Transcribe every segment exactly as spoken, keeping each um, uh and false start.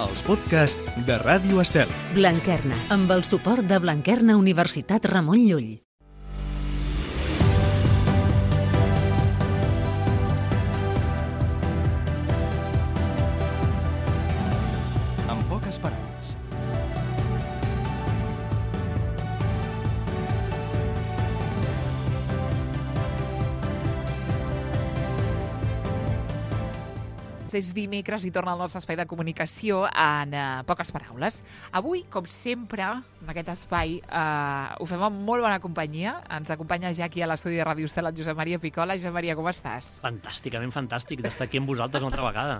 els podcasts de Ràdio Estel. Blanquerna, amb el suport de Blanquerna Universitat Ramon Llull. En poques paraules. És dimecres i torna al nostre espai de comunicació en uh, poques paraules. Avui, com sempre, en aquest espai uh, ho fem amb molt bona companyia. Ens acompanya ja aquí a l'estudi de Ràdio Estel el Josep Maria Picola. Josep Maria, com estàs? Fantàsticament fantàstic d'estar aquí amb vosaltres una altra vegada.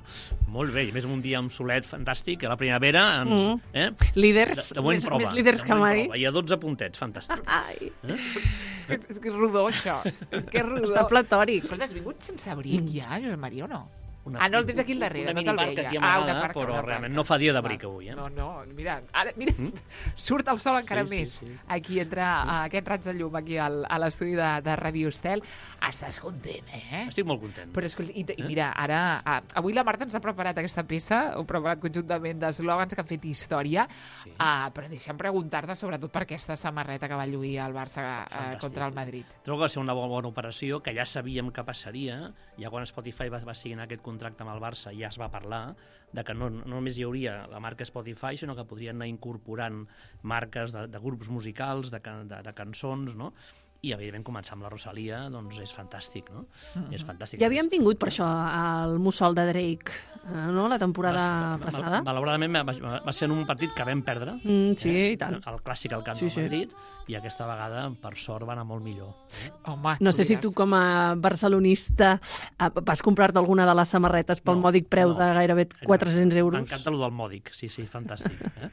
Molt bé, i més un dia amb solet fantàstic, a la primavera ens... Mm. Eh? Líders, de, de més, prova, més líders que mai. I a dotze puntets, fantàstic. Ai. Eh? És que, és que és rodó, això. És que és rodó. Està platòric. Escolta, has vingut sense abric ja, Josep Maria, o no? Una, ah, no el tens aquí al darrere, una no te'l minibarca veia. aquí Ah, amagada, una parca, però una realment parca. no fa dia d'abric avui. Eh? No, no, mira, ara, mira, mm? surt el sol encara Sí, sí, més. sí. Aquí entra uh, aquest raig de llum aquí al, a l'estudi de, de Ràdio Estel. Estàs content, eh? Estic molt content. Però escolta, i, i mira, ara, uh, avui la Marta ens ha preparat aquesta peça, ho ha preparat conjuntament d'eslògans que han fet història, Sí. uh, però deixa'm preguntar-te sobretot per aquesta samarreta que va lluir el Barça uh, Fantàstic. contra el Madrid. Trobo que va ser una bona, bona operació, que ja sabíem que passaria, ja quan Spotify va, va signar aquest contracte amb el Barça ja es va parlar de que no, no només hi hauria la marca Spotify, sinó que podrien anar incorporant marques de, de grups musicals, de, can- de, de cançons, no? I, evidentment, començar amb la Rosalia, doncs és fantàstic, no? Mm-hmm. És fantàstic. Ja havíem tingut, per això, el mussol de Drake, eh, no?, la temporada Va- passada. mal- Malauradament va, va ser en un partit que vam perdre. Mm, sí, i tant. El clàssic al camp Sí, del sí. Madrid, i aquesta vegada, per sort, va anar molt millor. Eh? Home, No sé si diràs. tu, com a barcelonista, eh, vas comprar-te alguna de les samarretes pel No, mòdic preu no. de gairebé quatre-cents euros. M'encanta allò del mòdic, sí, sí, fantàstic. Eh?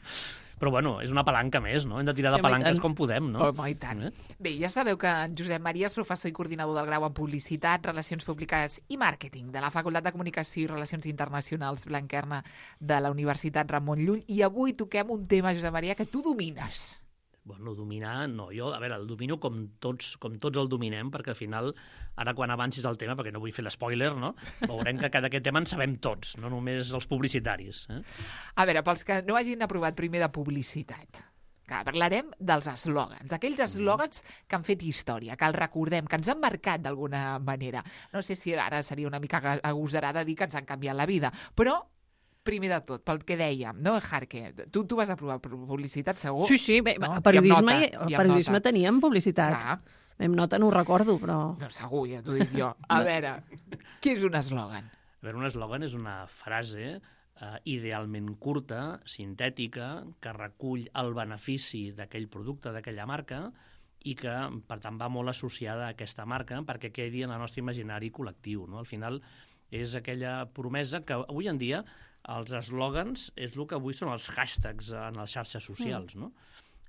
Però, bueno, és una palanca més, no? Hem de tirar Sí, de home, i palanques tant. com podem, no? Home, i tant. Eh? Bé, ja sabeu que en Josep Maria és professor i coordinador del grau en Publicitat, Relacions Públiques i Màrqueting de la Facultat de Comunicació i Relacions Internacionals Blanquerna de la Universitat Ramon Llull. I avui toquem un tema, Josep Maria, que tu domines. Bueno, dominar, no, jo, a veure, el domino com tots, com tots el dominem, perquè al final, ara quan avancis el tema, perquè no vull fer l'espoiler, no? Veurem que d'aquest tema en sabem tots, no només els publicitaris. Eh? A veure, pels que no hagin aprovat primer de publicitat, que parlarem dels eslògans, d'aquells eslògans que han fet història, que els recordem, que ens han marcat d'alguna manera. No sé si ara seria una mica agosarada dir que ens han canviat la vida, però primer de tot, pel que dèiem, no, Jarque? Tu, tu vas aprovar publicitat, segur? Sí, sí, bé, No? a periodisme, I amb nota, hi- i a amb periodisme nota. teníem publicitat. Clar, Amb nota no ho recordo, però... doncs segur, ja t'ho dic jo. A veure, què és un eslògan? A veure, un eslògan és una frase eh, idealment curta, sintètica, que recull el benefici d'aquell producte, d'aquella marca, i que, per tant, va molt associada a aquesta marca perquè quedi en el nostre imaginari col·lectiu. No? Al final, és aquella promesa que avui en dia els eslògans és el que avui són els hashtags en les xarxes socials, no?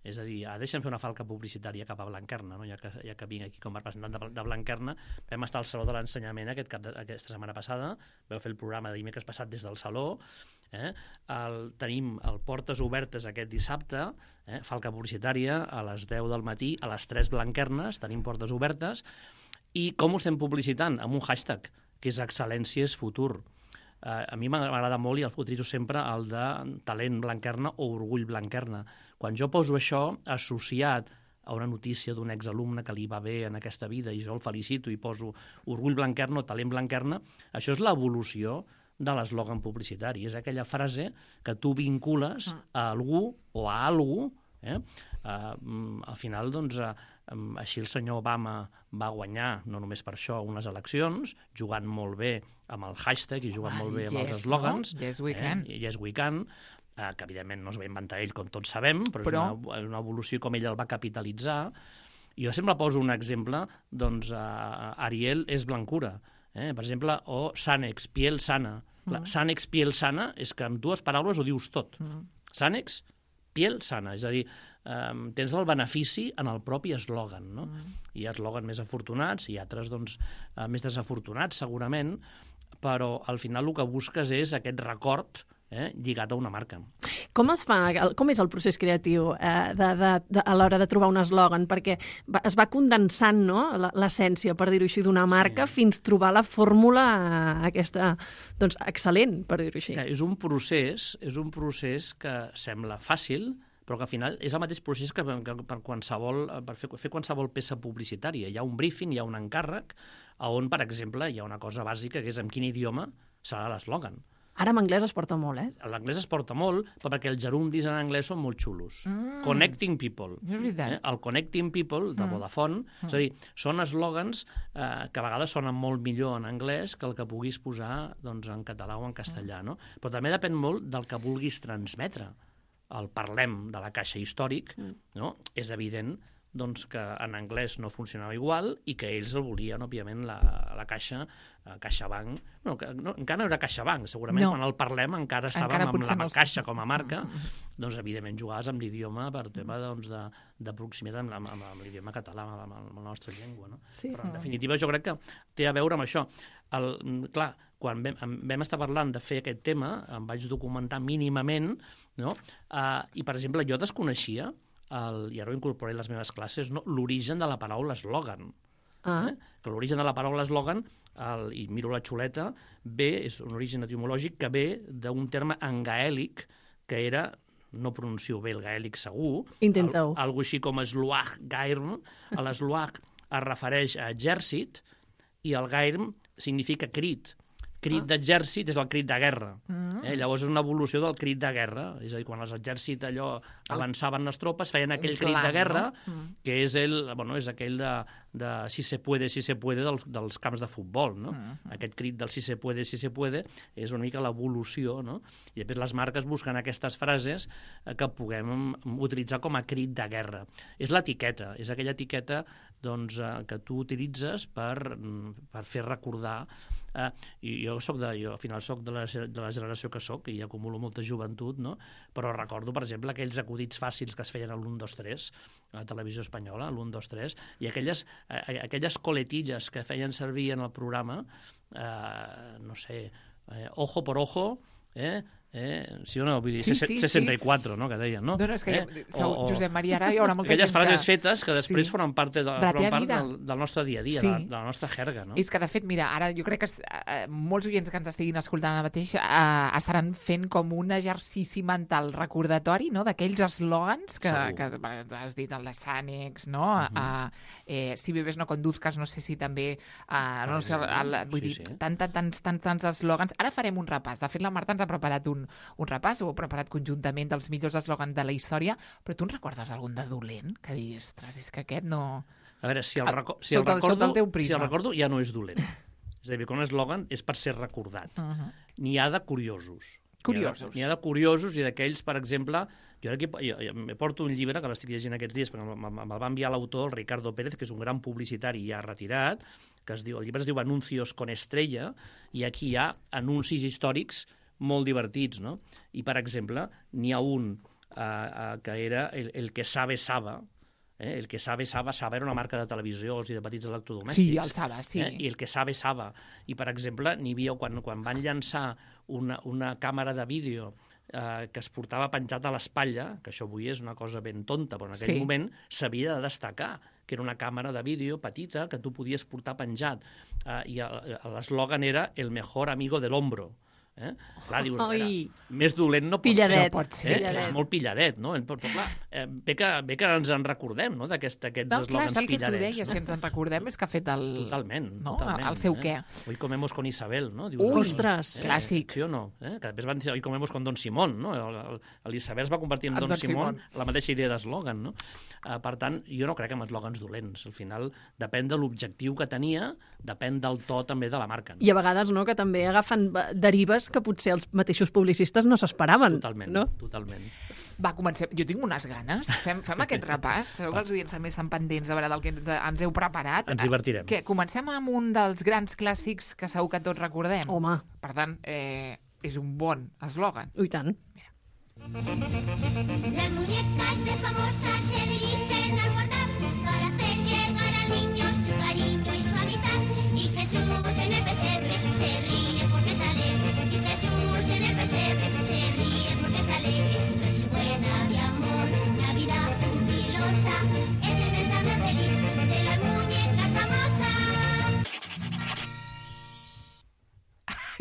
És a dir, ah, deixa'm fer una falca publicitària cap a Blanquerna, no? ja, que, ja que vinc aquí com a representant de, de Blanquerna. Vam estar al Saló de l'Ensenyament aquest cap de, aquesta setmana passada, vau fer el programa de dimecres passat des del Saló, eh? el, tenim el Portes Obertes aquest dissabte, eh? falca publicitària, a les deu del matí, a les tres Blanquernes, tenim Portes Obertes, i com ho estem publicitant? Amb un hashtag, que és Excel·lència és futur. Uh, a mi m'agrada molt, i el utilitzo sempre, el de talent Blanquerna o orgull Blanquerna. Quan jo poso això associat a una notícia d'un exalumne que li va bé en aquesta vida i jo el felicito i poso orgull Blanquerna o talent Blanquerna, això és l'evolució de l'eslògan publicitari. És aquella frase que tu vincules a algú o a algú. Eh? Uh, al final, doncs, uh, um, així el senyor Obama va guanyar, no només per això, unes eleccions, jugant molt bé amb el hashtag i jugant Home, molt bé amb yes, els eslògans. no? Yes, we can. Eh? Yes, we can. Uh, que evidentment no es va inventar ell, com tots sabem, però, Però- és una, una evolució com ell el va capitalitzar. I jo sempre poso un exemple, doncs, uh, Ariel és blancura. Eh? Per exemple, o Sanex, piel sana. Mm. Sanex, piel sana, és que amb dues paraules ho dius tot. Mm. Sanex, piel sana, és a dir, um, tens el benefici en el propi eslògan, no? Mm. Hi ha eslògans més afortunats i altres, doncs, uh, més desafortunats, segurament, però al final el que busques és aquest record, eh, lligat a una marca. Com es fa, com és el procés creatiu eh, de, de, de, a l'hora de trobar un eslògan? Perquè va, es va condensant, no?, l'essència, per dir-ho així, d'una marca sí. fins trobar la fórmula aquesta, doncs, excel·lent, per dir-ho així. És un procés, és un procés que sembla fàcil, però que al final és el mateix procés que per, qualsevol, per fer, fer qualsevol peça publicitària. Hi ha un briefing, hi ha un encàrrec, on, per exemple, hi ha una cosa bàsica, que és en quin idioma serà l'eslògan. Ara en anglès es porta molt, eh? L'anglès es porta molt, però perquè els gerundis en anglès són molt xulos. Mm. Connecting people. És veritat. Eh? El connecting people, de Vodafone, mm. és a dir, són eslògans eh, que a vegades sonen molt millor en anglès que el que puguis posar doncs, en català o en castellà, no? Però també depèn molt del que vulguis transmetre. El parlem de la caixa històric, no? És evident doncs, que en anglès no funcionava igual i que ells el volien, òbviament, la, la caixa, la CaixaBank. No, que, no, encara no era CaixaBank, segurament no. Quan el parlem encara estàvem encara amb la no Caixa com a marca, doncs evidentment jugaves amb l'idioma per tema doncs, de, de proximitat amb, amb, amb l'idioma català, amb, amb la nostra llengua. No? Sí. Però en definitiva jo crec que té a veure amb això. El, clar, quan vam, vam estar parlant de fer aquest tema, em vaig documentar mínimament, no? uh, i per exemple jo desconeixia el, i ara ho incorporé a les meves classes, no? L'origen de la paraula eslògan. Ah. Eh? Que l'origen de la paraula eslògan, el, i miro la xuleta, ve, és un origen etimològic que ve d'un terme en gaèlic que era, no pronuncio bé el gaèlic segur, intenteu. Al, algo així com esluach gairn. L'esluach es refereix a exèrcit i el gairn significa crit. Crit ah. d'exèrcit és el crit de guerra. Mm. Eh? Llavors és una evolució del crit de guerra. És a dir, quan els exèrcits allò avançaven les tropes, feien aquell un crit clan, de guerra, no? mm. que és, el, bueno, és aquell de, de si se puede, si se puede dels, dels camps de futbol. No? Mm. Aquest crit del si se puede, si se puede és una mica l'evolució. No? I després les marques busquen aquestes frases que puguem utilitzar com a crit de guerra. És l'etiqueta, és aquella etiqueta doncs, que tu utilitzes per, per fer recordar. Eh, i jo, soc de, jo al final soc de la, de la generació que soc i acumulo molta joventut, no? Però recordo, per exemple, aquells acudits fàcils que es feien a l'u dos tres, a la televisió espanyola, l'u dos tres, i aquelles, eh, aquelles coletilles que feien servir en el programa, eh, no sé, eh, ojo por ojo, eh, Eh? Sí o no? Vull dir, sí, sí, seixanta i quatre, sí. No? Que deien, no? No, no, és que eh? o, o... Josep Maria, ara hi haurà molta aquelles gent frases que... fetes que després sí. formen part, de, de formen part del, del nostre dia a dia, sí. de, de la nostra jerga, no? És que, de fet, mira, ara jo crec que eh, molts oients que ens estiguin escoltant ara mateix eh, estaran fent com un exercici mental recordatori, no?, d'aquells eslògans que, que has dit, el de Sànex, no? Uh -huh. uh, eh, si bebes no conduzcas, no sé si també... Uh, no sé, el, vull sí, dir, sí. tant, tants, tants, tants eslògans. Ara farem un repàs. De fet, la Marta ens ha preparat un, un repàs, ho heu preparat conjuntament dels millors eslògans de la història, però tu en recordes algun de dolent? Que diguis, ostres, és que aquest no... A veure, si el, reco si el, sota, recordo, sota el si el recordo ja no és dolent. És a dir, que un eslògan és per ser recordat. Uh -huh. N'hi ha de curiosos. Curiosos. N'hi ha, ha de curiosos i d'aquells, per exemple... Jo aquí jo, jo, jo porto un llibre que l'estic llegint aquests dies, perquè me'l va enviar l'autor, el Ricardo Pérez, que és un gran publicitari ja retirat, que es diu, el llibre es diu Anuncios con Estrella, i aquí hi ha anuncis històrics molt divertits, no? I, per exemple, n'hi ha un uh, uh, que era el, el que sabe Saba, eh? El que sabe Saba, Saba era una marca de televisions i de petits electrodomèstics. Sí, el Saba, sí. Eh? I el que sabe Saba. I, per exemple, n'hi havia, quan, quan van llançar una, una càmera de vídeo eh, que es portava penjat a l'espatlla, que això avui és una cosa ben tonta, però en aquell sí. moment s'havia de destacar, que era una càmera de vídeo petita que tu podies portar penjat. Eh, I l'eslògan era el mejor amigo del hombro. Eh? Clar, dius, mira, més dolent no pot pilladet, ser. Pot ser. Eh? És molt pilladet, no? Però, clar, eh, bé, que, bé que ens en recordem, no?, d'aquests no, eslògans pilladets. El que tu deies, no? Si ens en recordem, és que ha fet el... Totalment, no? totalment. El seu eh? què. Hoy comemos con Isabel, no? Dius, Ui, ostres, eh? Clàssic. Sí o no? Eh? Que després van dir, hoy comemos con Don Simón, no? L'Isabel es va convertir en Don, Don Simón, Simón, la mateixa idea d'eslògan, no? Uh, per tant, jo no crec en eslògans dolents. Al final, depèn de l'objectiu que tenia, depèn del to també de la marca. No? I a vegades, no?, que també agafen derives que potser els mateixos publicistes no s'esperaven. Totalment, no? totalment. Va, comencem. Jo tinc unes ganes. Fem, fem aquest repàs. Segur que els oients també estan pendents a veure del que ens heu preparat. Ens divertirem. Què? Comencem amb un dels grans clàssics que segur que tots recordem. Home. Per tant, eh, és un bon eslògan. I tant. Mira. Las muñecas de famosa se dirigen al guardar para hacer llegar al niño su cariño y su amistad. Y Jesús en el pesebre se ríe porque está alegre. Y Jesús en el pesebre se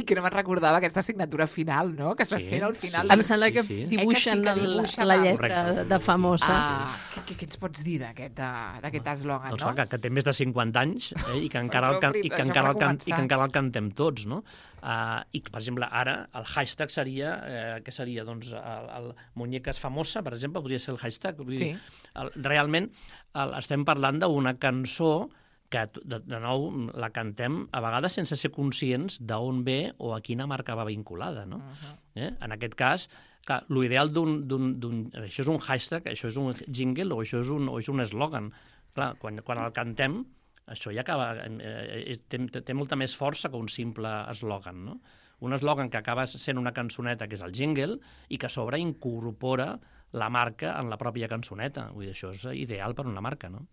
I que no me'n recordava aquesta signatura final, no? Que se Sí, sent al final. sí. Em sembla que sí. dibuixen, Eh que sí, que el- dibuixen la el- lletra Correcte. de famosa. Ah, què, què ens pots dir d'aquest eh, d'aquest eslògan, Doncs no? clar, que, que té més de cinquanta anys eh, i, que encara el, can, i, que Això encara el per can, començar. i que encara el cantem tots, no? Uh, I, per exemple, ara el hashtag seria, eh, què seria? Doncs el, el Muñecas famosa, per exemple, podria ser el hashtag. Vull Sí. dir, el, realment el, estem parlant d'una cançó que, de, de nou, la cantem a vegades sense ser conscients d'on ve o a quina marca va vinculada, no? Uh-huh. Eh? En aquest cas, clar, l'ideal d'un, d'un, d'un... Això és un hashtag, això és un jingle o això és un, o és un eslògan. Clar, quan, quan el cantem, això ja acaba... Eh, té, té molta més força que un simple eslògan, no? Un eslògan que acaba sent una cançoneta, que és el jingle, i que a sobre incorpora la marca en la pròpia cançoneta. Vull dir, això és ideal per una marca, no?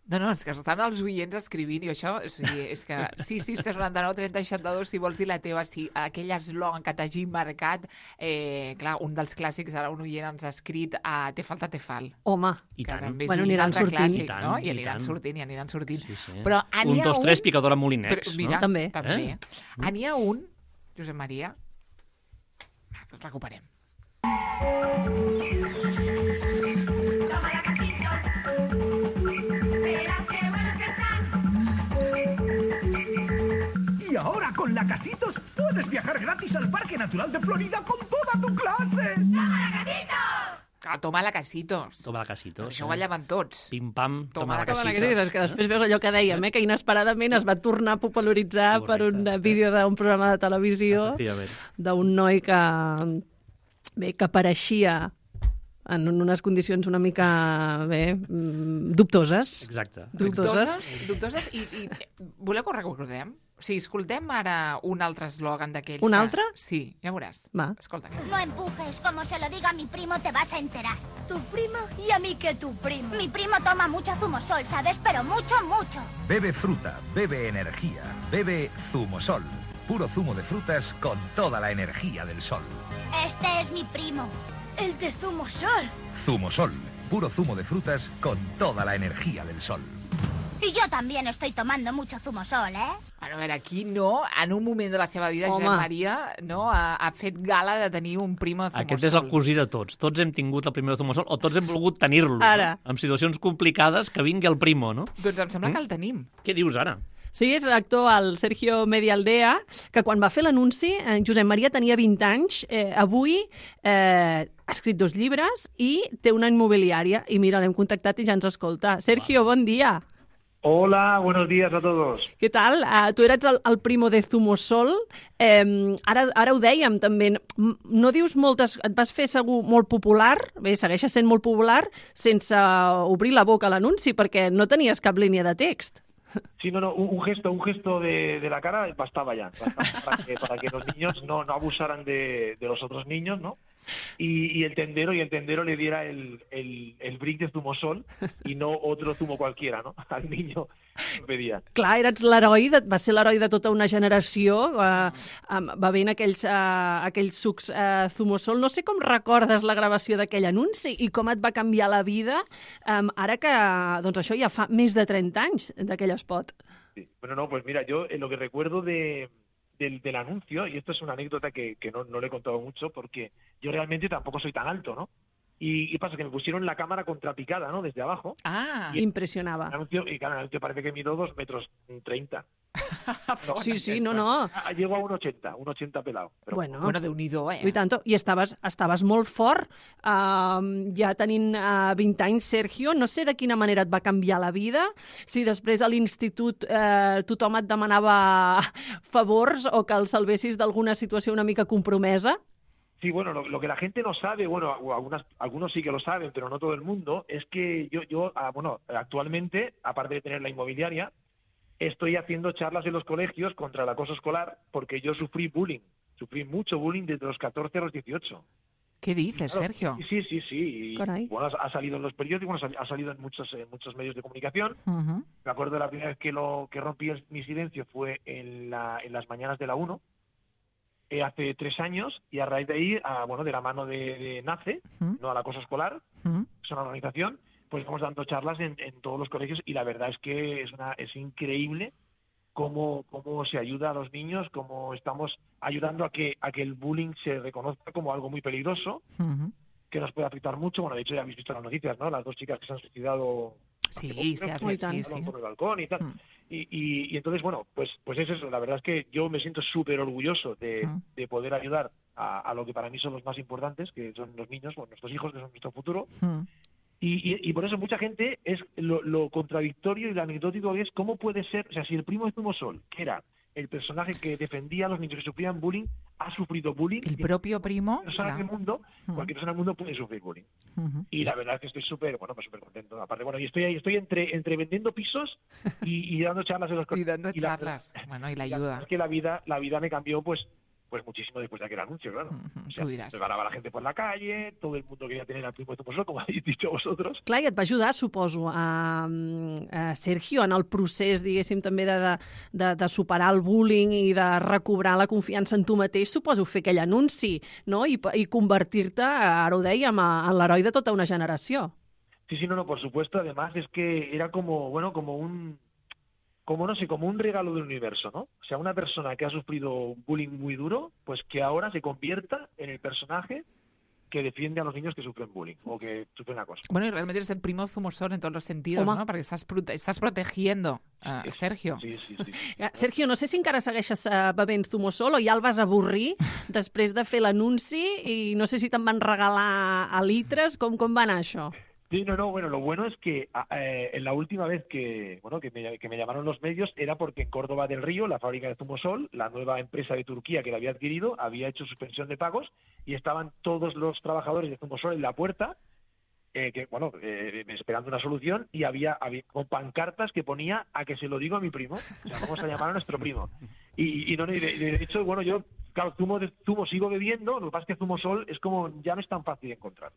No, no, és que estan els oients escrivint i això, o sigui, és que sis sis tres noranta nou trenta seixanta-dos, si vols dir la teva, si aquell eslògan que t'hagi marcat, eh, clar, un dels clàssics, ara un oient ens ha escrit a Te falta, te fal. Home, I Que tant. també és Bueno, un aniran altre sortint. clàssic, I tant, no? I i aniran tant. sortint, i aniran sortint. Sí, sí. Però n'hi Un, ha dos, tres, un- picadora Molinex, Però, mira, no? També. també. Eh? Ah, n'hi ha un, Josep Maria, ah, el recuperem. Y ahora con la Casitos puedes viajar gratis al Parque Natural de Florida con toda tu clase. Ah, toma la casitos. Toma la casitos. Això ho ballaven tots. Pim-pam, Toma toma, la la com casitos. la casitos. que sí, que després veus allò que dèiem, eh, que inesperadament es va tornar a popularitzar per un Correcte. vídeo d'un programa de televisió Efectivament. d'un noi que, bé, que apareixia en unes condicions una mica, bé, mm, dubtoses. Exacte. Dubtoses. Dubtoses, dubtoses i, i voleu que ho recordem? O sigui, escoltem ara un altre eslògan d'aquells. Un que- altre? Sí, ja veuràs. Va. Escolta. No empujes, como se lo diga a mi primo te vas a enterar. ¿Tu primo? ¿Y a mí qué tu primo? Mi primo toma mucho zumosol, ¿sabes? Pero mucho, mucho. Bebe fruta, bebe energía, bebe Zumosol. Puro zumo de frutas con toda la energía del sol. Este es mi primo. El de zumosol. Zumosol, puro zumo de frutas con toda la energía del sol. Y yo también estoy tomando mucho zumosol, ¿eh? Bueno, a veure, aquí no, en un moment de la seva vida, Home. Josep Maria no, ha, ha fet gala de tenir un primo zumosol. Aquest és el cosí de tots. Tots hem tingut el primer zumosol o tots hem volgut tenir-lo. Ara. No? En situacions complicades, que vingui el primo, no? Doncs em sembla Mm? que el tenim. Què dius ara? Sí, és l'actor, el Sergio Medialdea, que quan va fer l'anunci, eh, Josep Maria tenia vint anys, eh, avui eh, ha escrit dos llibres i té una immobiliària. I mira, l'hem contactat i ja ens escolta. Sergio, bon dia. Hola, buenos días a todos. Què tal? Uh, tu eres el, el primo de Zumosol. Eh, ara, ara ho dèiem, també. M- No dius moltes... Et vas fer segur molt popular, bé, segueixes sent molt popular, sense obrir la boca a l'anunci, perquè no tenies cap línia de text. Sí, no, no, un, un gesto, un gesto de, de la cara bastaba ya, bastaba para, que, para que los niños no, no abusaran de, de los otros niños, ¿no? Y, y el tendero y el tendero le diera el, el, el brick de zumosol y no otro zumo cualquiera, ¿no? Al niño que pedía. Clar, eres l'heroi, de, va ser l'heroi de tota una generació, uh, um, bevent aquells, uh, aquells sucs uh, Zumosol. No sé com recordes la gravació d'aquell anunci i com et va canviar la vida um, ara que, doncs això ja fa més de trenta anys d'aquell spot. Sí. Bueno, no, pues mira, yo eh, lo que recuerdo de, del, del anuncio, y esto es una anécdota que, que no, no le he contado mucho, porque yo realmente tampoco soy tan alto, ¿no? Y, y pasa que me pusieron la cámara contrapicada, ¿no? Desde abajo. Ah, Impressionava. El anuncio, y claro, el anuncio parece que mido dos metros treinta. No, Sí, sí, no, no. ah, llego a un ochenta, un ochenta pelado. Pero Bueno, bueno, Déu-n'hi-do, eh? I tant, i estaves, estaves molt fort, uh, ja tenint uh, vint anys, Sergio. No sé de quina manera et va canviar la vida, si després a l'institut uh, tothom et demanava favors o que el salvessis d'alguna situació una mica compromesa. Sí, bueno, lo, lo que la gente no sabe, bueno, o algunas, algunos sí que lo saben, pero no todo el mundo, es que yo, yo ah, bueno, actualmente, aparte de tener la inmobiliaria, estoy haciendo charlas en los colegios contra el acoso escolar porque yo sufrí bullying, sufrí mucho bullying desde los catorce a los dieciocho. Què dices, Claro, Sergio? Sí, sí, sí. Y, Caray. bueno, ha, ha salido en los periódicos, ha salido en muchos, en muchos medios de comunicación. Uh-huh. Me acuerdo de la primera vez que, lo, que rompí el- mi silencio fue en, la, en las mañanas de la uno, eh, hace tres años, y a raíz de ahí, ah, bueno, de la mano de, de NACE, Mm. no al acoso escolar, Uh-huh. es una organización, pues estamos dando charlas en, en todos los colegios y la verdad es que es, una, es increíble cómo, cómo se ayuda a los niños, cómo estamos ayudando a que, a que el bullying se reconozca como algo muy peligroso, Uh-huh. que nos puede afectar mucho. Bueno, de hecho ya habéis visto las noticias, ¿no? Las dos chicas que se han suicidado Sí, hace poco, se ¿no? hace, Muy sí, tant. sí. por el balcón y tal. Mm. Y, y, y entonces, bueno, pues pues es eso. La verdad es que yo me siento súper orgulloso de, Mm. de poder ayudar a, a lo que para mí son los más importantes, que son los niños, bueno, nuestros hijos, que son nuestro futuro. Mm. Y, y, y por eso mucha gente es lo, lo contradictorio y lo anecdótico que es cómo puede ser, o sea, si el primo de Zumosol, que era el personaje que defendía a los niños que sufrían bullying, ha sufrido bullying. El y propio primo, cualquier persona clar. del mundo, Mm. cualquier persona del mundo puede sufrir bullying. Ujú. Y la verdad es que estoy súper, bueno, pues súper contento. Aparte, bueno, y estoy ahí, estoy entre, entre vendiendo pisos y, y dando charlas en los Y dando y la- charlas. Bueno, y la y la ayuda. verdad es que la vida, la vida me cambió, pues, pues muchísimo después de aquel anuncio, claro. Ujú, O sea, tú diràs. me paraba la gente por la calle, todo el mundo quería tener al primo de Zumosol, como habéis dicho vosotros. Clar, i et va ajudar, suposo, a, a Sergio en el procés, diguéssim, també de, de, de, de superar el bullying i de recobrar la confiança en tu mateix, suposo, fer aquell anunci, no? I, i convertir-te, ara ho dèiem, a- en l'heroi de tota una generació. Sí, sí, no, no, por supuesto. Además es que era como, bueno, como un, como no sé, como un regalo del universo, ¿no? O sea, una persona que ha sufrido bullying muy duro, pues que ahora se convierta en el personaje que defiende a los niños que sufren bullying o que sufren acoso. Bueno, y realmente eres el primo Zumosol en todos los sentidos, Home. ¿no? Porque estás, prote- estás protegiendo a Sergio. Sí, sí, sí. Eh, Sergio, no sé si encara segueixes eh, bevent Zumosol o ja el vas avorrir després de fer l'anunci i no sé si te'n van regalar a litres. Com, com va anar això? Sí, no, no, bueno, lo bueno es que eh, en la última vez que, bueno, que me, que me llamaron los medios era porque en Córdoba del Río, la fábrica de Zumosol, la nueva empresa de Turquía que la había adquirido, había hecho suspensión de pagos y estaban todos los trabajadores de Zumosol en la puerta, eh, que, bueno, eh, esperando una solución, y había, había con pancartas que ponía a que se lo digo a mi primo, o sea, vamos a llamar a nuestro primo. Y, y, no, y de, de hecho, bueno, yo, claro, zumo, de, zumo sigo bebiendo, lo que pasa es que Zumosol es como, ya no es tan fácil encontrar.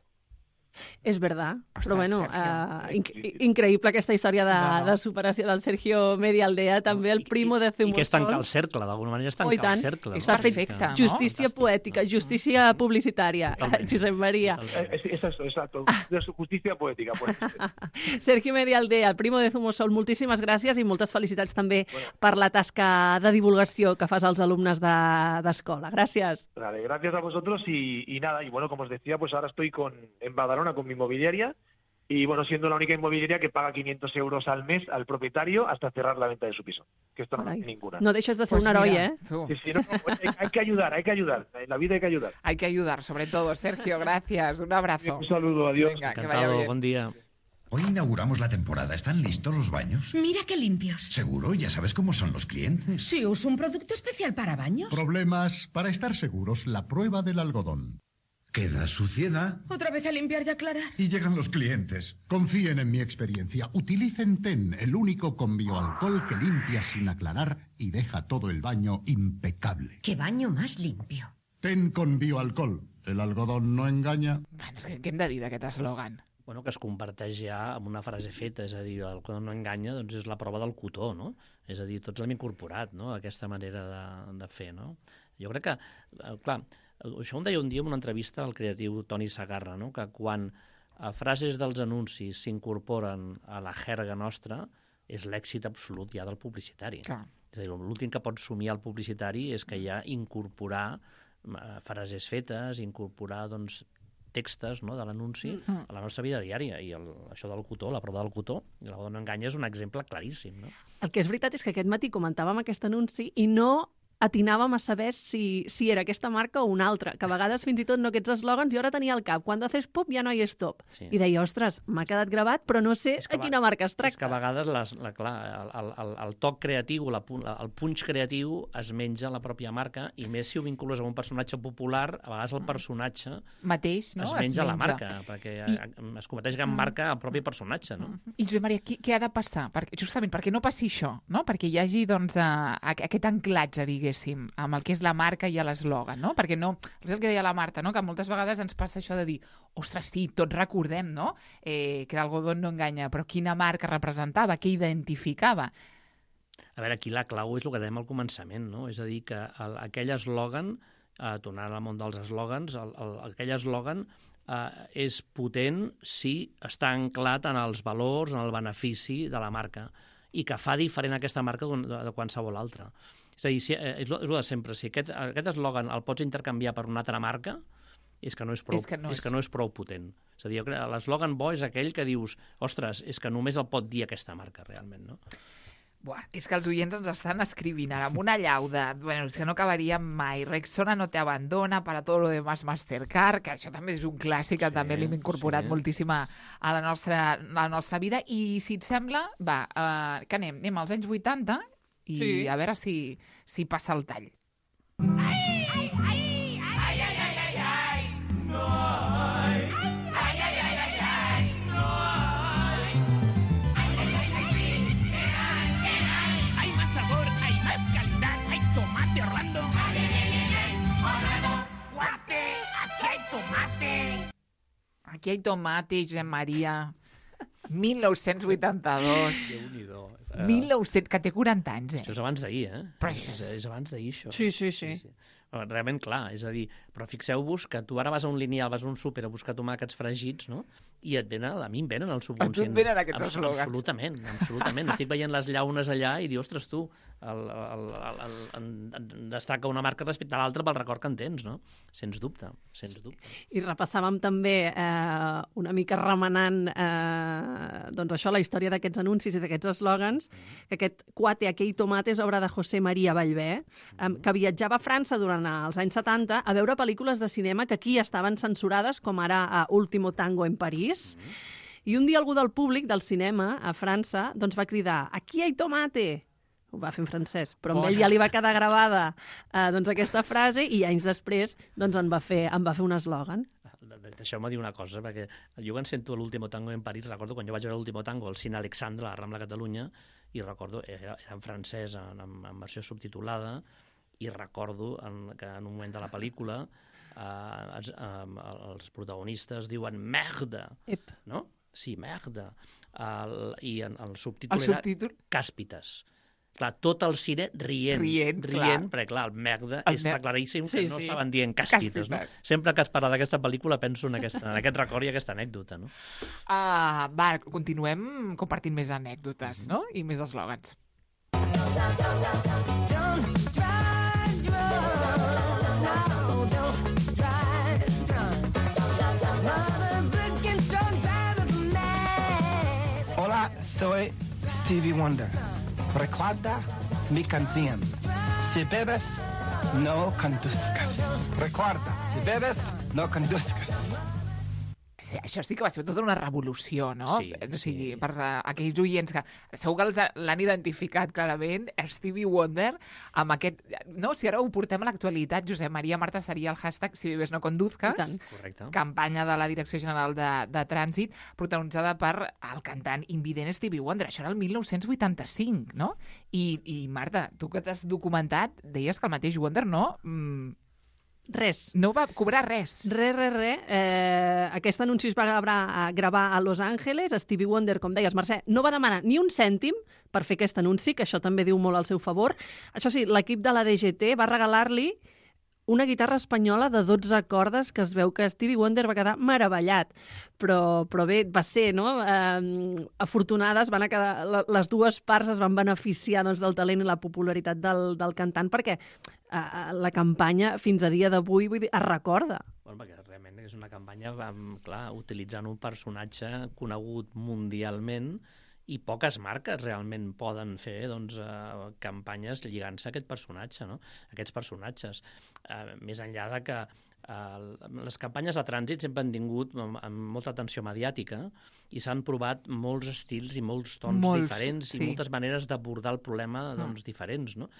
És verdad, Ostres, però bueno, Sergio. uh, inc increïble aquesta història de, No, no. de superació del Sergio Medialdea, també el primo de I que és tancar Zumosol. el cercle, d'alguna manera és Oh, i tancar tant. el cercle. És no? perfecte, Que- no? Justícia Fantàstic, poètica, no? justícia publicitària, Totalment. Josep Maria. Totalment. Eh, es, es, exacto, de su justicia poética. Pues. Sergio Medialdea, el primo de Zumosol, moltíssimes gràcies i moltes felicitats també per la tasca de divulgació que fas als alumnes de- d'escola. Gràcies. Vale, gracias a vosotros y, y nada, y bueno, como os decía, pues ahora estoy con, en Badalona con mi inmobiliaria y bueno, siendo la única inmobiliaria que paga quinientos euros al mes al propietario hasta cerrar la venta de su piso, que esto no Carai. hay ninguna. No deixes de ser Pues un heroi, mira, eh? tú. Sí, sí, no, no, hay, hay que ayudar, hay que ayudar, en la vida hay que ayudar. Hay que ayudar, sobre todo. Sergio, gracias. Un abrazo. Un saludo, adiós. Venga, que vaya Encantado, bien. bon dia. Hoy inauguramos la temporada. ¿Están listos los baños? Mira qué limpios. Seguro, ya sabes cómo son los clientes. Sí, uso un producto especial para baños. Problemas. Para estar seguros, la prueba del algodón. Queda suciedad Otra vez a limpiar y aclarar. Y llegan los clientes. Confíen en mi experiencia. Utilicen TEN, el único con bioalcohol que limpia sin aclarar y deja todo el baño impecable. Qué baño más limpio. TEN con bioalcohol. El algodón no engaña. Bueno, és que què hem de dir d'aquest eslògan? Bueno, que es comparteix ja amb una frase feta, és a dir, el que no enganya doncs és la prova del cotó, no? És a dir, tots l'hem incorporat, no?, aquesta manera de, de fer, no? Jo crec que, eh, clar, això ho deia un dia en una entrevista al creatiu Toni Sagarra, no?, que quan a frases dels anuncis s'incorporen a la jerga nostra és l'èxit absolut ja del publicitari. Clar. És a dir, l'últim que pot somiar el publicitari és que ja incorporar eh, frases fetes, incorporar, doncs, textos, no?, de l'anunci Mm. a la nostra vida diària. I el, això del cotó, la prova del cotó, i la dona enganya és un exemple claríssim, no? El que és veritat és que aquest matí comentàvem aquest anunci i no atinàvem a saber si, si era aquesta marca o una altra, que a vegades fins i tot no aquests eslògans jo ara tenia al cap, quan haces pop ja no hi és stop. Sí. I deia, ostres, m'ha quedat gravat, però no sé És que a va- quina marca es És que a tracta. vegades les, la, clar, el, el, el, el toc creatiu, la, pu- la, el punx creatiu es menja la pròpia marca, i més si ho vincules amb un personatge popular, a vegades el personatge Mateix, no? es menja la marca, perquè I- I... es converteix en marca el propi personatge, no? I Josep Maria, què, què ha de passar? Perquè, justament perquè no passi això, no? Perquè hi hagi doncs, a, a, aquest anclatge, diguéssim, amb el que és la marca i l'eslògan, no? Perquè no, és el que deia la Marta, no? Que moltes vegades ens passa això de dir, ostres, sí, tots recordem, no? Eh, que l'algodón no enganya, però quina marca representava, què identificava? A veure, aquí la clau és el que dèiem al començament, no? És a dir, que el, aquell eslògan, eh, tornant al món dels eslògans, el, el, aquell eslògan eh, és potent si està anclat en els valors, en el benefici de la marca. i que fa diferent aquesta marca de, de qualsevol altra. És a dir, si, és, és el de sempre, si aquest, aquest eslògan el pots intercanviar per una altra marca, és que no és prou, és que no és... És que no és prou potent. És a dir, l'eslògan bo és aquell que dius, ostres, és que només el pot dir aquesta marca, realment, no? Buah, és que els oients ens estan escrivint ara amb una llau de... Bueno, és que no acabaria mai. Rexona no te abandona, para todo lo demás Mastercard, que això també és un clàssic que sí, també l'hem incorporat sí. moltíssim a la nostra, a la nostra vida. I si et sembla, va, uh, que anem, anem als anys vuitanta i sí. a veure si, si passa el tall. Ai, ai, ai! Aquí hay tomate, Josep Maria. mil nou-cents vuitanta-dos. Déu-n'hi-do. mil nou-cents, que té quaranta anys, eh? Això és abans d'ahir, eh? Però és... és abans d'ahir, això. Sí, sí, sí. sí, sí. Realment, clar, és a dir, però fixeu-vos que tu ara vas a un lineal, vas a un súper a buscar tomàquets fregits, no? I et venen, a mi em venen el subconscient. A tu et venen aquests Abs eslògans. Absolutament, absolutament. Estic veient les llaunes allà i dius, ostres, tu, el, el, el, el, el, destaca una marca respecte a l'altra pel record que en tens, no? Sens dubte, sens dubte. I repassàvem també eh, una mica remenant eh, doncs això, la història d'aquests anuncis i d'aquests eslògans, mm. que aquest Cuate, aquell tomate és obra de José María Ballbé, eh, que viatjava a França durant els anys setanta a veure pel·lícules de cinema que aquí estaven censurades, com ara a Último Tango en París. Mm. I un dia algú del públic del cinema a França doncs va cridar «Aquí hi ha tomate!» Ho va fer en francès, però amb ell ja li va quedar gravada eh, doncs aquesta frase i anys després doncs en va fer, en va fer un eslògan. Deixeu-me dir una cosa, perquè jo quan sento l'Último Tango en París, recordo quan jo vaig veure l'Último Tango al cine Alexandre, a la Rambla Catalunya, i recordo, era, era en francès, en, en versió subtitulada, i recordo en, que en un moment de la pel·lícula eh, els, eh, els protagonistes diuen merda, Ep. no? Sí, merda. El, I en, el subtítol el era subtítol? Càspites. Clar, tot el cine rient, rient, rient perquè clar, el merda el està claríssim que sí, no sí. estaven dient càspites, no? Sempre que es parla d'aquesta pel·lícula penso en, aquesta, en aquest record i aquesta anècdota, no? Uh, va, continuem compartint més anècdotes, no? I més eslògans. Hola, soy Stevie Wonder. Recuerda mi canción. Si bebes, no conduzcas. Recuerda, si bebes, no conduzcas. Això sí que va ser tota una revolució, no? Sí, o sigui, sí. per uh, aquells oients que segur que l'han identificat clarament, Stevie Wonder, amb aquest... No, si ara ho portem a l'actualitat, Josep Maria Marta, seria el hashtag Si bebes no conduzcas, campanya de la Direcció General de, de Trànsit, protagonitzada per el cantant invident Stevie Wonder. Això era el mil nou-cents vuitanta-cinc, no? I, i Marta, tu que t'has documentat, deies que el mateix Wonder no... Mm, Res. No va cobrar res. Res, res, res. Eh, aquest anunci es va gravar, a gravar a Los Angeles. Stevie Wonder, com deies, Mercè, no va demanar ni un cèntim per fer aquest anunci, que això també diu molt al seu favor. Això sí, l'equip de la D G T va regalar-li una guitarra espanyola de dotze cordes que es veu que Stevie Wonder va quedar meravellat. Però, però bé, va ser, no? Eh, afortunades, van a quedar, les dues parts es van beneficiar doncs, del talent i la popularitat del, del cantant, perquè eh, la campanya fins a dia d'avui vull dir, es recorda. Bueno, perquè realment és una campanya, clar, utilitzant un personatge conegut mundialment, i poques marques realment poden fer doncs, eh, campanyes lligant-se a aquest personatge, no? Aquests personatges. Eh, més enllà de que eh, les campanyes de trànsit sempre han tingut amb, amb molta atenció mediàtica i s'han provat molts estils i molts tons molts, diferents sí. i moltes maneres d'abordar el problema doncs, mm. diferents, no?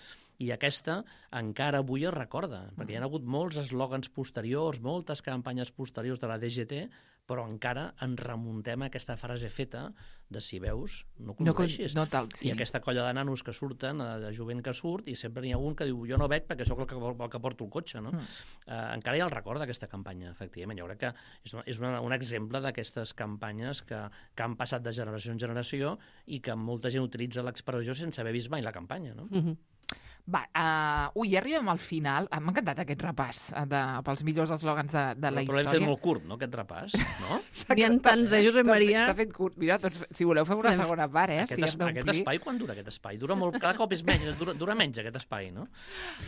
I aquesta encara avui es recorda, perquè hi ha hagut molts eslògans posteriors, moltes campanyes posteriors de la D G T, però encara ens remuntem a aquesta frase feta de si veus, no condueixis. No, no tal, sí. I aquesta colla de nanos que surten, de jovent que surt, i sempre n'hi ha un que diu jo no veig perquè sóc el que, el que porto el cotxe, no? Mm. Uh, encara hi ha el record d'aquesta campanya, efectivament. Jo crec que és, una, és una, un exemple d'aquestes campanyes que, que han passat de generació en generació i que molta gent utilitza l'expressió sense haver vist mai la campanya, no? Mm-hmm. Va, uh, ui, ja arribem al final. M'ha encantat aquest repàs uh, de, pels millors eslògans de, de la però, història. Però l'hem fet molt curt, no, aquest repàs? No? N'hi ha tants, eh, Josep Maria? T'ha fet curt. Mira, doncs, si voleu fem una segona part, eh? Aquest, si es, aquest espai, quan dura aquest espai? Dura molt, cada cop és menys, dura, dura menys aquest espai, no?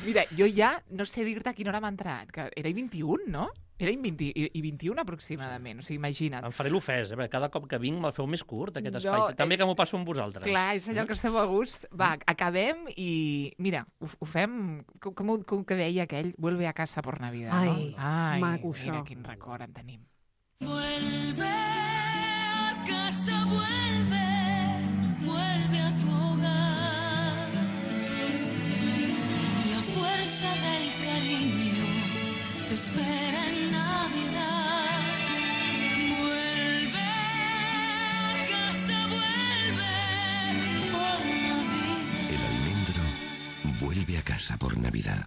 Mira, jo ja no sé dir-te a quina hora m'ha entrat, que era i vint-i-un, no? Era i vint i vint-i-un aproximadament, o sigui, imagina't. Em faré l'ofès, eh? Cada cop que vinc me'l feu més curt, aquest No, espai. També eh, que m'ho passo amb vosaltres. Clar, és allò que estem a gust. Va, acabem i, mira, ho, ho fem, com, com, com que deia aquell, vuelve a casa por Navidad, Ai, no? Ai, maco, mira això. quin record en tenim. Vuelve a casa, vuelve, vuelve a tu hogar. La fuerza del cariño te espera en Navidad. Vuelve a casa, vuelve por Navidad. El almendro vuelve a casa por Navidad.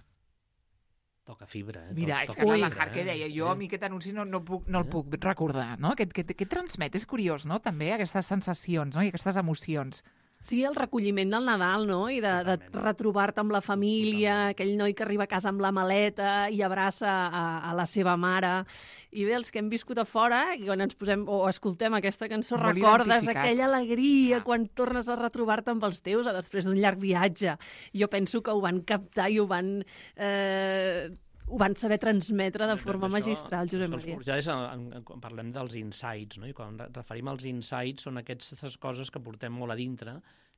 Toca fibra, eh? Mira, és que Toca la fibra, Jar que eh? deia, jo a mi aquest anunci no, no, puc, no el puc recordar, no? Què, què, què transmet? És curiós, no? També aquestes sensacions, no? I aquestes emocions. Sí, el recolliment del Nadal, no? I de, de retrobar-te amb la família, aquell noi que arriba a casa amb la maleta i abraça a, a la seva mare. I bé, els que hem viscut a fora, i quan ens posem o escoltem aquesta cançó, Molt recordes identificats. aquella alegria quan tornes a retrobar-te amb els teus a després d'un llarg viatge. Jo penso que ho van captar i ho van... Eh, ho van saber transmetre de forma Això- magistral, Josep això Maria. els- Ja és, en, en, quan parlem dels insights, no? I quan re- referim als insights són aquestes coses que portem molt a dintre,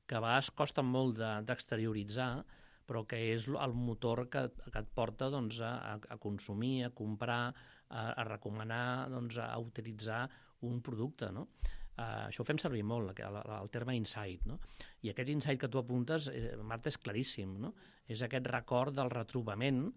que a vegades costen molt de- d'exterioritzar, però que és el motor que, que et porta doncs, a, a consumir, a comprar, a, a recomanar, doncs, a utilitzar un producte, no? Uh, això ho fem servir molt, el, el terme insight, no? I aquest insight que tu apuntes, eh, Marta, és claríssim, no? És aquest record del retrobament.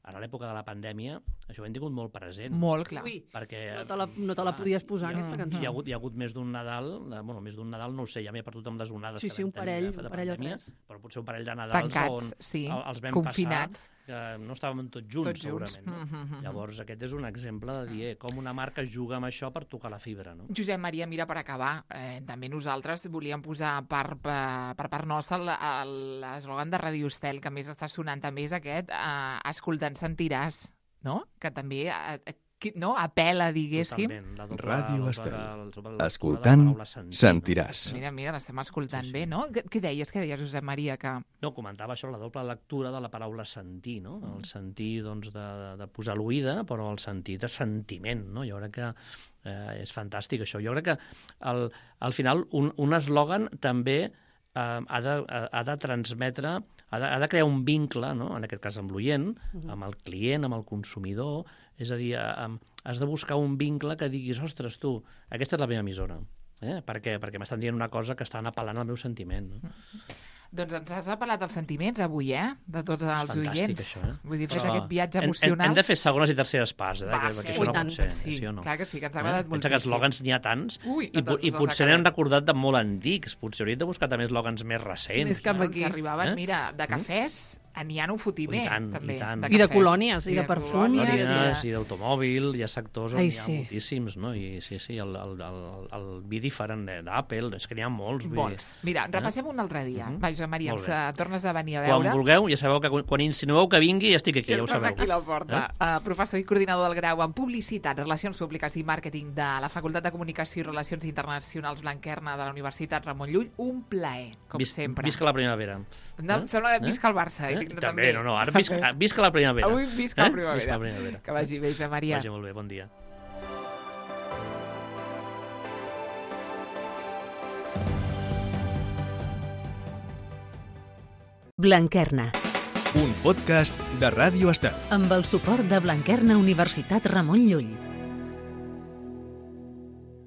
Ara, a l'època de la pandèmia, això ho hem tingut molt present. Molt clar. Ui, perquè, no te la, no te la podies posar, hi ha, aquesta cançó. Hi ha hagut, hi ha hagut més d'un Nadal, de, bueno, més d'un Nadal, no ho sé, ja m'he perdut amb les onades Sí, que sí, vam un parell, tenir de, de un parell o pandèmia, tres. però potser un parell de Nadals Tancats, on sí, el- els vam confinats. passar, que no estàvem tots junts, Tots junts. segurament. No? Mm, mm, mm. Llavors, aquest és un exemple de dir eh, com una marca juga amb això per tocar la fibra. No? Josep Maria, mira, per acabar, eh, també nosaltres volíem posar per, per, per part nostra el- el- l'eslògan de Radio Estel, que més està sonant també és aquest, eh, escoltant sentiràs, no? Que també eh, qui- no? apela, diguéssim. Totalment, la doble- Ràdio la- Estel. la- la- la- Escoltant, la paraula sentir, sentiràs. Mira, mira, l'estem escoltant sí, sí. bé, no? Què, què deies, què deies, Josep Maria? Que... No, comentava això, la doble lectura de la paraula sentir, no? El sentir, doncs, de, de posar l'oïda, però el sentir de sentiment, no? Jo crec que eh, és fantàstic, això. Jo crec que, al, al final, un, un eslògan també eh, ha, de, ha de transmetre, ha de, ha de crear un vincle, no? En aquest cas amb l'oient, Mhm. amb el client, amb el consumidor, és a dir, eh, has de buscar un vincle que diguis, ostres, tu, aquesta és la meva emissora. Eh? Per què? Perquè m'estan dient una cosa que estan apel·lant al meu sentiment. No? Doncs ens has apel·lat als sentiments avui, eh? De tots els Fantàstic, oients. això, eh? Vull dir, fes Però aquest viatge hem- hem- emocional. Hem de fer segones i terceres parts, eh? Va, que, fem-ho. que això no I tant, pot ser. sí, sí o no? clar que sí, que ens ha agradat eh? moltíssim. Pensa que eslògans n'hi ha tants Ui, i, no po- i ens els potser acabem. n'hem recordat de molt antics. Potser hauríem de buscar també eslògans més recents. Més cap no? aquí. Ens arribaven, Eh? mira, de cafès, n'hi ha un fotimer, I tant, també. i tant. I de cafès. colònies, i de perfums. colònies, Colònies i i d'automòbil, hi ha sectors on Ai, hi ha sí. moltíssims, no? I sí, sí, el, el, el, el be different d'Apple, és que n'hi ha molts. de... vull dir, Molts. Mira, en repassem un altre dia. Mhm. Va, Josep Maria, Molt ens bé. eh, tornes a venir a Quan veure. vulgueu, ja sabeu que quan- quan insinueu que vingui, ja estic aquí, ja ho Estàs sabeu. aquí a la porta. Eh? Uh, professor i coordinador del grau en Publicitat, Relacions Públiques i Màrqueting de la Facultat de Comunicació i Relacions Internacionals Blanquerna de la Universitat Ramon Llull. Un plaer, com Vis, sempre. Visca la primavera. No, em sembla que visca el Barça. Eh? Eh? També, no, no, ara visca, visca la primavera. Avui visca la Eh? primavera. Visca la primavera. Que vagi bé, Josep Maria. Vagi molt bé, bon dia. Blanquerna, Un podcast de Ràdio Estel. amb el suport de Blanquerna Universitat Ramon Llull.